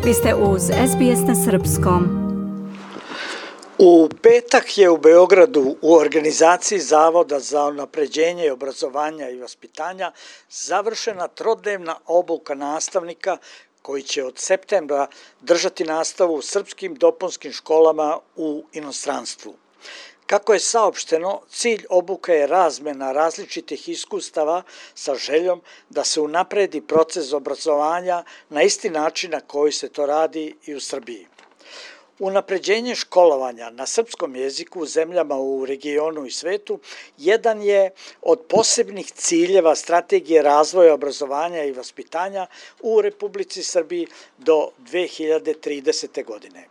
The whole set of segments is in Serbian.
Vi ste uz SBS na srpskom. U petak je u Beogradu u organizaciji Zavoda za unapređenje obrazovanja i vaspitanja završena trodnevna obuka nastavnika koji će od septembra držati nastavu u srpskim dopunskim školama u inostranstvu. Kako je saopšteno, cilj obuke je razmena različitih iskustava sa željom da se unapredi proces obrazovanja na isti način na koji se to radi i u Srbiji. Unapređenje školovanja na srpskom jeziku u zemljama u regionu i svetu jedan je od posebnih ciljeva strategije razvoja obrazovanja i vaspitanja u Republici Srbiji do 2030. godine.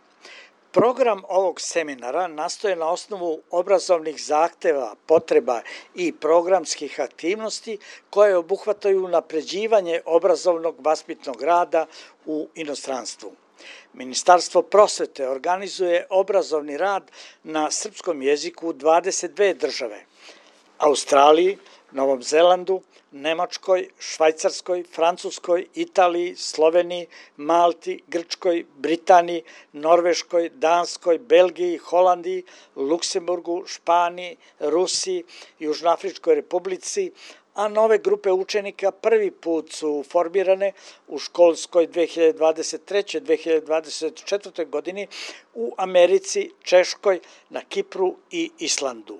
Program ovog seminara nastoje na osnovu obrazovnih zahteva, potreba i programskih aktivnosti koje obuhvataju unapređivanje obrazovnog vaspitnog rada u inostranstvu. Ministarstvo prosvete organizuje obrazovni rad na srpskom jeziku u 22 države: Australiji, Novom Zelandu, Nemačkoj, Švajcarskoj, Francuskoj, Italiji, Sloveniji, Malti, Grčkoj, Britaniji, Norveškoj, Danskoj, Belgiji, Holandiji, Luksemburgu, Španiji, Rusiji, Južnoafričkoj Republici, a nove grupe učenika prvi put su formirane u školskoj 2023-2024. godini u Americi, Češkoj, na Kipru i Islandu.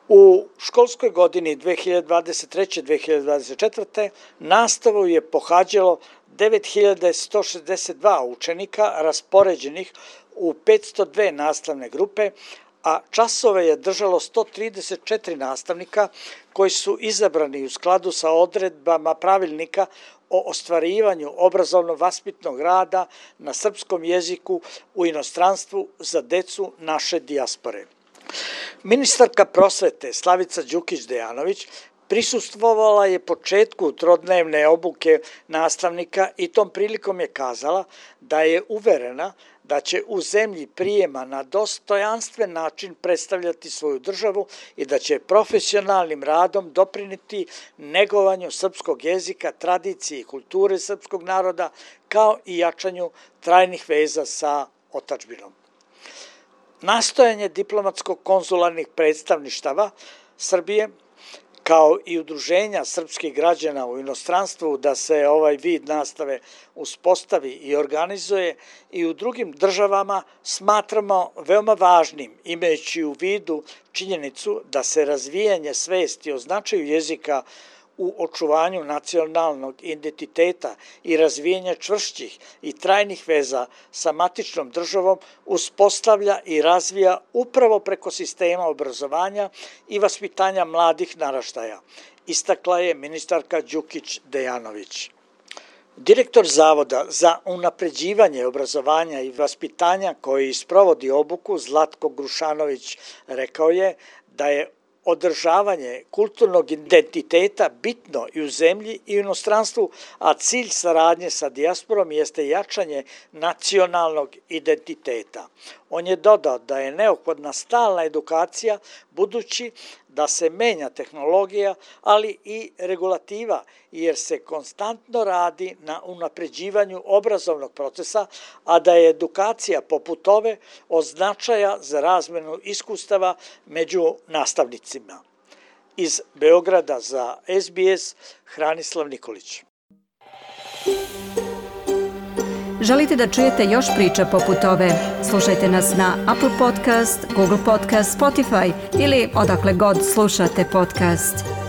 U školskoj godini 2023-2024. nastavu je pohađalo 9162 učenika raspoređenih u 502 nastavne grupe, a časove je držalo 134 nastavnika koji su izabrani u skladu sa odredbama pravilnika o ostvarivanju obrazovno-vaspitnog rada na srpskom jeziku u inostranstvu za decu naše dijaspore. Ministarka prosvete Slavica Đukić-Dejanović prisustvovala je početku trodnevne obuke nastavnika i tom prilikom je kazala da je uverena da će u zemlji prijema na dostojanstven način predstavljati svoju državu i da će profesionalnim radom doprineti negovanju srpskog jezika, tradicije i kulture srpskog naroda, kao i jačanju trajnih veza sa otadžbinom. Nastojanje diplomatsko-konzularnih predstavništava Srbije, kao i udruženja srpskih građana u inostranstvu da se ovaj vid nastave uspostavi i organizuje i u drugim državama, smatramo veoma važnim, imajući u vidu činjenicu da se razvijanje svesti o značaju jezika u očuvanju nacionalnog identiteta i razvijenja čvršćih i trajnih veza sa matičnom državom uspostavlja i razvija upravo preko sistema obrazovanja i vaspitanja mladih naraštaja, istakla je ministarka Đukić-Dejanović. Direktor Zavoda za unapređivanje obrazovanja i vaspitanja koji sprovodi obuku, Zlatko Grušanović, rekao je da je održavanje kulturnog identiteta bitno i u zemlji i u inostranstvu, a cilj saradnje sa dijasporom jeste jačanje nacionalnog identiteta. On je dodao da je neophodna stalna edukacija, budući da se menja tehnologija, ali i regulativa, jer se konstantno radi na unapređivanju obrazovnog procesa, a da je edukacija poput ove od značaja za razmenu iskustava među nastavnicima. Iz Beograda za SBS, Hranislav Nikolić. Želite da čujete još priča poput ove? Slušajte nas na Apple Podcast, Google Podcast, Spotify ili odakle god slušate podcast.